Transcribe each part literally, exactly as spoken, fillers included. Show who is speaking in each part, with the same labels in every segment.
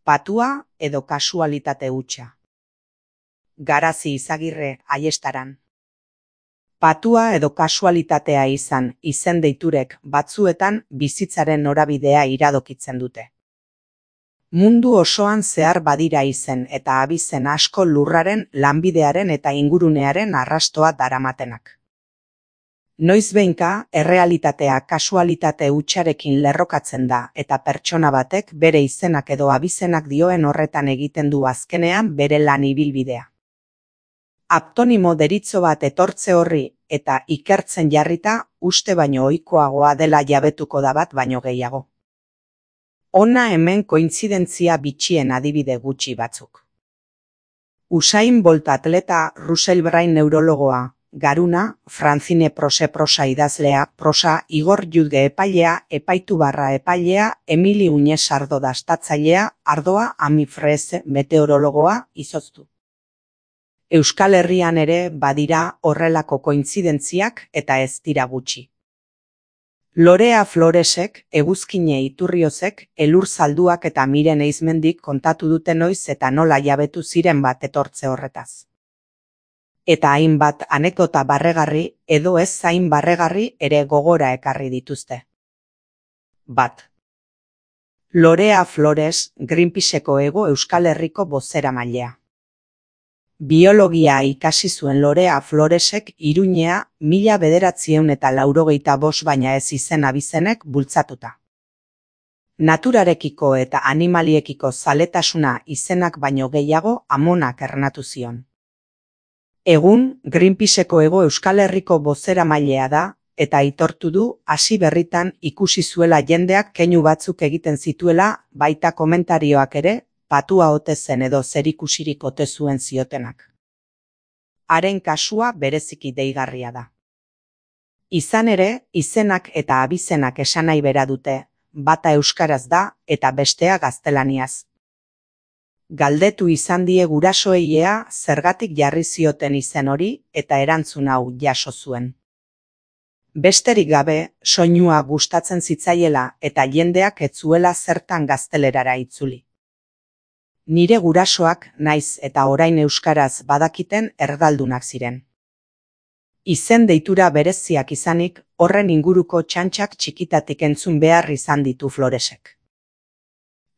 Speaker 1: patua edo kasualitate hutsa. Garazi Izagirre, Aiestaran. Patua edo kasualitatea izan izen deiturek batzuetan bizitzaren norabidea iradokitzen dute. Mundu osoan zehar badira izen eta abizen asko lurraren, lanbidearen eta ingurunearen arrastoa daramatenak. Noizbehinka, errealitatea kasualitate hutsarekin lerrokatzen da eta pertsona batek bere izenak edo abizenak dioen horretan egiten du azkenean bere lan ibilbidea. Aptonimo deritzo bat etortze horri eta ikertzen jarrita uste baino ohikoagoa dela jabetuko da bat baino gehiago. Hona hemen kointzidentzia bitxien adibide gutxi batzuk. Usain Bolt atleta, Russell Brain neurologoa, Garuna, Francine Prose prosa idazlea, prosa, Igor Judge epailea, epaitu barra epailea, Emili Uñez ardo dastatzailea, ardoa, Ami Freze meteorologoa, izoztu. Euskal Herrian ere badira horrelako kointzidentziak eta ez dira gutxi. Lorea Floresek, Eguzkine Iturriozek, Elur Zalduak eta Miren Eizmendik kontatu dute noiz eta nola jabetu ziren bat etortze horretaz. Eta hainbat anekdota barregarri edo ez zain barregarri ere gogora ekarri dituzte. Bat. Lorea Flores, Greenpeaceko Hego Euskal Herriko bozeramailea. Biologia ikasi zuen Lorea Floresek Iruñea mila bederatziehun eta laurogeita bost baina ez izen abizenek bultzatuta. Naturarekiko eta animaliekiko zaletasuna izenak baino gehiago amonak ernatu zion. Egun, Greenpeaceko Hego Euskal Herriko bozeramailea da, eta aitortu du hasi berritan ikusi zuela jendeak keinu batzuk egiten zituela, baita komentarioak ere, patua ote zen edo zerikusirik ote zuen ziotenak. Haren kasua bereziki deigarria da. Izan ere, izenak eta abizenak esanai bera dute, bata euskaraz da eta bestea gaztelaniaz. Galdetu izan die gurasoei ea zergatik jarri zioten izen hori eta erantzun hau jaso zuen. Besterik gabe, soinua gustatzen zitzaiela eta jendeak ez zuela zertan gaztelerara itzuli. Nire gurasoak naiz eta orain euskaraz badakiten erdaldunak ziren. Izen deitura bereziak izanik, horren inguruko txantxak txikitatik entzun behar izan ditu Floresek.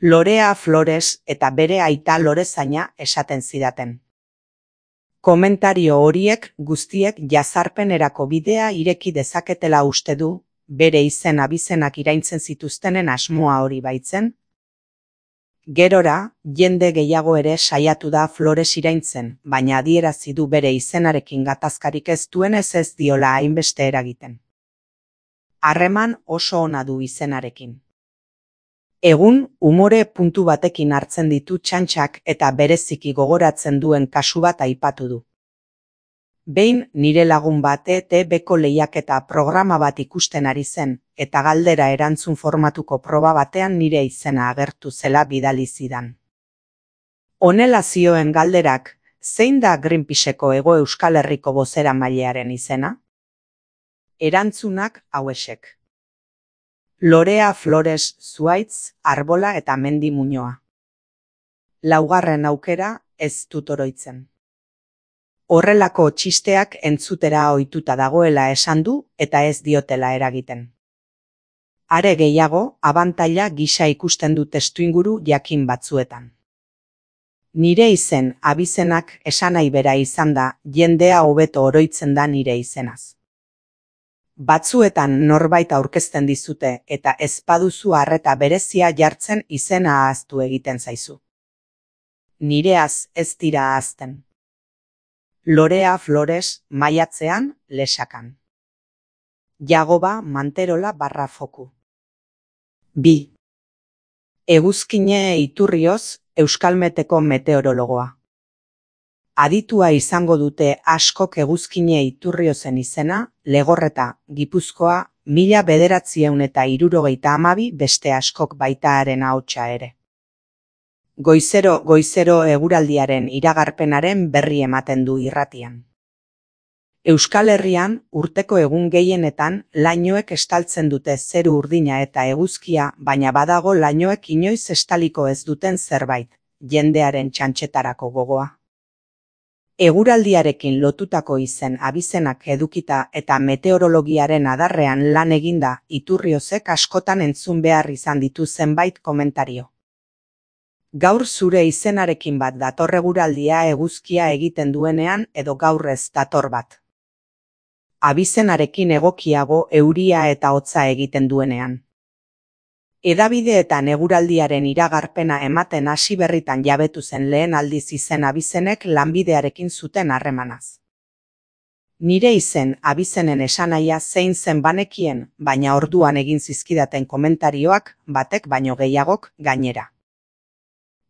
Speaker 1: Lorea Flores eta bere aita Lorezaina esaten zidaten. Komentario horiek guztiek jazarpenerako bidea ireki dezaketela uste du, bere izen abizenak iraintzen zituztenen asmoa hori baitzen. Gerora, jende gehiago ere saiatu da Flores iraintzen, baina adierazi du bere izenarekin gatazkarik ez duenez ez diola hainbeste eragiten. Harreman oso ona du izenarekin. Egun, umore puntu batekin hartzen ditu txantxak eta bereziki gogoratzen duen kasu bat aipatu du. Behin nire lagun bat E T Bko lehiaketa programa bat ikusten ari zen, eta galdera erantzun formatuko proba batean nire izena agertu zela bidali zidan. Honela zioen galderak, zein da Greenpeaceko Hego Euskal Herriko bozeramailearen izena? Erantzunak hauexek. Lorea Flores Zuaitz, Arbola eta Mendi Muñoa. Laugarren aukera ez dut oroitzen. Horrelako txisteak entzutera ohituta dagoela esan du eta ez diotela eragiten. Are gehiago, abantaila gisa ikusten du testuinguru jakin batzuetan. Nire izen abizenak esanai bera izan da, jendea hobeto oroitzen da nire izenaz. Batzuetan norbait aurkezten dizute eta ez baduzu arreta berezia jartzen izena ahaztu egiten zaizu. Nireaz ez dira ahazten. Lorea Flores, maiatzean, Lesakan. Jagoba Manterola barra foku. Bi. Eguzkine Iturrioz, Euskalmeteko meteorologoa. Aditua izango dute askok Eguzkine Iturriozen izena, Legorreta, Gipuzkoa, mila bederatziehun eta hirurogeita hamabi beste askok baita haren ahotsa ere. Goizero, goizero eguraldiaren iragarpenaren berri ematen du irratian. Euskal Herrian urteko egun gehienetan lainoek estaltzen dute zeru urdina eta eguzkia, baina badago lainoek inoiz estaliko ez duten zerbait, jendearen txantxetarako gogoa. Eguraldiarekin lotutako izen abizenak edukita eta meteorologiaren adarrean lan eginda, Iturriozek askotan entzun behar izan ditu zenbait komentario. Gaur zure izenarekin bat dator eguraldia eguzkia egiten duenean edo gaur ez dator bat. Abizenarekin egokiago euria eta hotza egiten duenean. Hedabideetan eguraldiaren iragarpena ematen hasi berritan jabetu zen lehen aldiz izen abizenek lanbidearekin zuten harremanaz. Nire izen abizenen esanahia zein zen banekien, baina orduan egin zizkidaten komentarioak batek baino gehiagok gainera.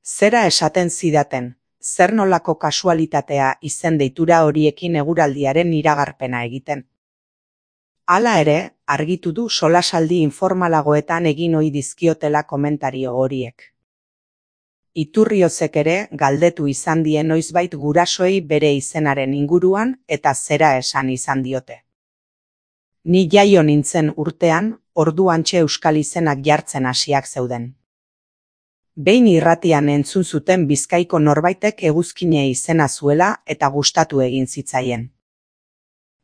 Speaker 1: Zera esaten zidaten, zer nolako kasualitatea izen deitura horiekin eguraldiaren iragarpena egiten. Hala ere, argitu du solasaldi informalagoetan egin ohi dizkiotela komentario horiek. Iturriozek ere galdetu izan die noizbait gurasoei bere izenaren inguruan eta zera esan izan diote. Ni jaio nintzen urtean, orduantxe euskal izenak jartzen hasiak zeuden. Behin irratian entzun zuten Bizkaiko norbaitek eguzkine izena zuela eta gustatu egin zitzaien.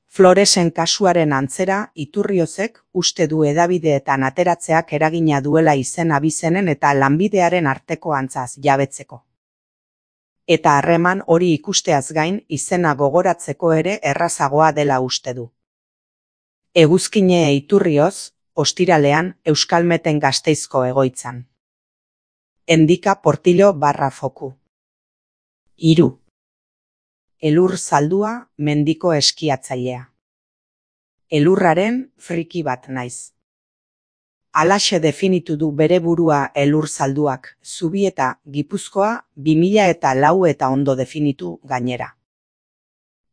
Speaker 1: Floresen kasuaren antzera, Iturriozek uste du hedabideetan ateratzeak eragina duela izen abizenen eta lanbidearen arteko antzaz jabetzeko. Eta harreman hori ikusteaz gain izena gogoratzeko ere errazagoa dela uste du. Eguzkine Iturrioz, ostiralean Euskalmeten Gasteizko egoitzan. Endika Portillo barra foku. Hiru. Elur zaldua, mendiko eskiatzailea. Elurraren friki bat naiz. Halaxe definitu du bere burua elur zalduak, Zubieta, Gipuzkoa, bi mila eta lau eta ondo definitu gainera.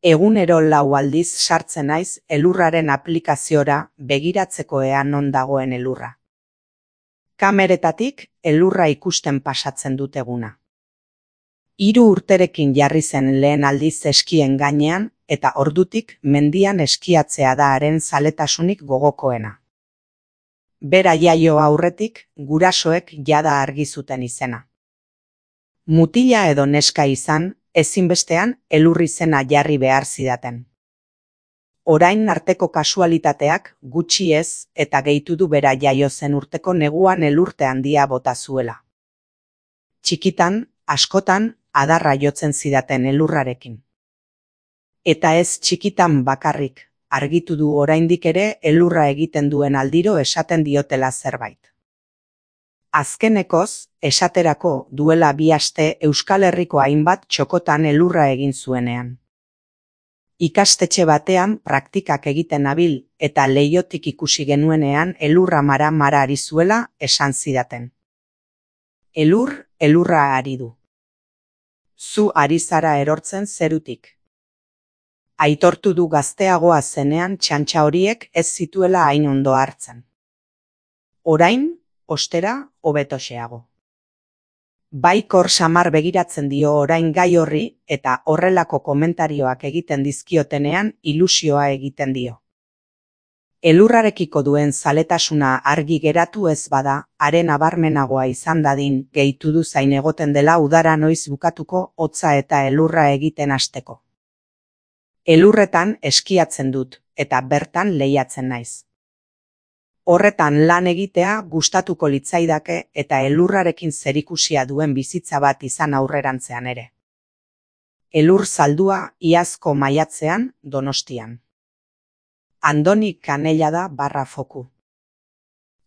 Speaker 1: Egunero lau aldiz sartzen naiz elurraren aplikaziora begiratzeko ea non dagoen elurra. Kameretatik elurra ikusten pasatzen dut eguna. Hiru urterekin jarri zen lehen aldiz eskien gainean eta ordutik mendian eskiatzea da haren zaletasunik gogokoena. Bera jaio aurretik gurasoek jada argi zuten izena. Mutila edo neska izan, ezinbestean elur izena jarri behar zidaten. Orain arteko kasualitateak gutxi ez eta gehitu du bera jaio zen urteko neguan elurte handia bota zuela. Txikitan, askotan, adarra jotzen zidaten elurrarekin. Eta ez txikitan bakarrik, argitu du oraindik ere elurra egiten duen aldiro esaten diotela zerbait. Azkenekoz, esaterako duela bi aste Euskal Herriko hainbat txokotan elurra egin zuenean. Ikastetxe batean praktikak egiten nabil eta leihotik ikusi genuenean elurra mara-mara ari zuela esan zidaten. Elur, elurra ari du. Zu ari zara erortzen zerutik. Aitortu du gazteagoa zenean txantxa horiek ez zituela hain ondo hartzen. Orain, ostera, hobetoxeago. Baikor samar begiratzen dio orain gai horri eta horrelako komentarioak egiten dizkiotenean ilusioa egiten dio. Elurrarekiko duen zaletasuna argi geratu ez bada, haren abarmenagoa izan dadin gehitu du zain egoten dela udara noiz bukatuko hotza eta elurra egiten hasteko. Elurretan eskiatzen dut eta bertan lehiatzen naiz. Horretan lan egitea gustatuko litzaidake eta elurrarekin zerikusia duen bizitza bat izan aurrerantzean ere. Elur zaldua iazko maiatzean Donostian. Andoni Kanellada barra foku.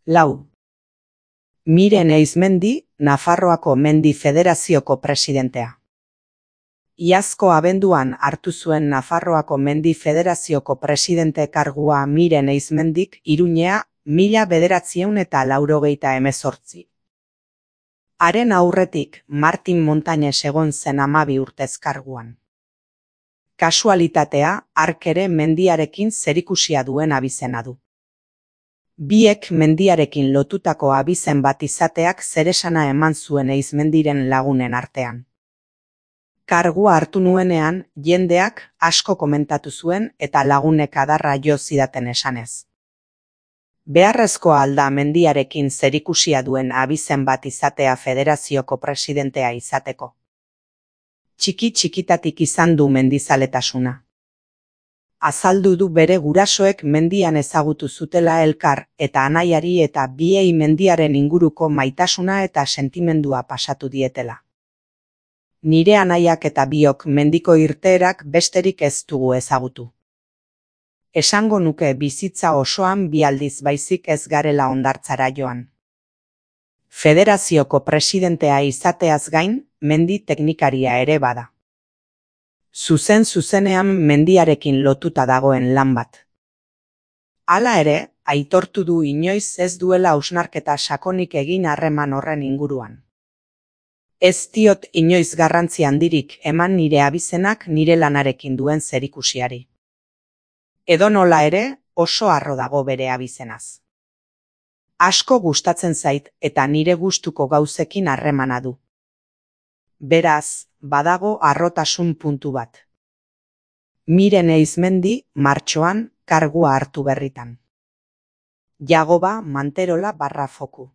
Speaker 1: Lau. Miren Eizmendi, Nafarroako Mendi Federazioko presidentea. Iazko abenduan hartu zuen Nafarroako Mendi Federazioko presidente kargua Miren Eizmendik Iruñea mila bederatziehun eta laurogeita hemezortzi. Haren aurretik Martin Montañez egon zen hamabi urtez karguan. Kasualitatea hark ere mendiarekin zerikusia duen abizena du. Biek mendiarekin lotutako abizen bat izateak zeresana eman zuen Eizmendiren lagunen artean. Kargua hartu nuenean, jendeak asko komentatu zuen eta lagunek adarra jo zidaten esanez. Beharrezkoa alda mendiarekin zerikusia duen abizen bat izatea federazioko presidentea izateko. Txiki txikitatik izan du mendizaletasuna. Azaldu du bere gurasoek mendian ezagutu zutela elkar eta anaiari eta biei mendiaren inguruko maitasuna eta sentimendua pasatu dietela. Nire anaiak eta biok mendiko irteerak besterik ez dugu ezagutu. Esango nuke bizitza osoan bi aldiz baizik ez garela hondartzara joan. Federazioko presidentea izateaz gain, mendi teknikaria ere bada. Zuzen zuzenean mendiarekin lotuta dagoen lan bat. Hala ere, aitortu du inoiz ez duela hausnarketa sakonik egin harreman horren inguruan. Ez diot inoiz garrantzi handirik eman nire abizenak nire lanarekin duen zerikusiari. Edonola ere, oso harro dago bere abizenaz. Asko gustatzen zait eta nire gustuko gauzekin harremana du. Beraz, badago harrotasun puntu bat. Miren Eizmendi, martxoan, kargua hartu berritan. Jagoba Manterola barra foku.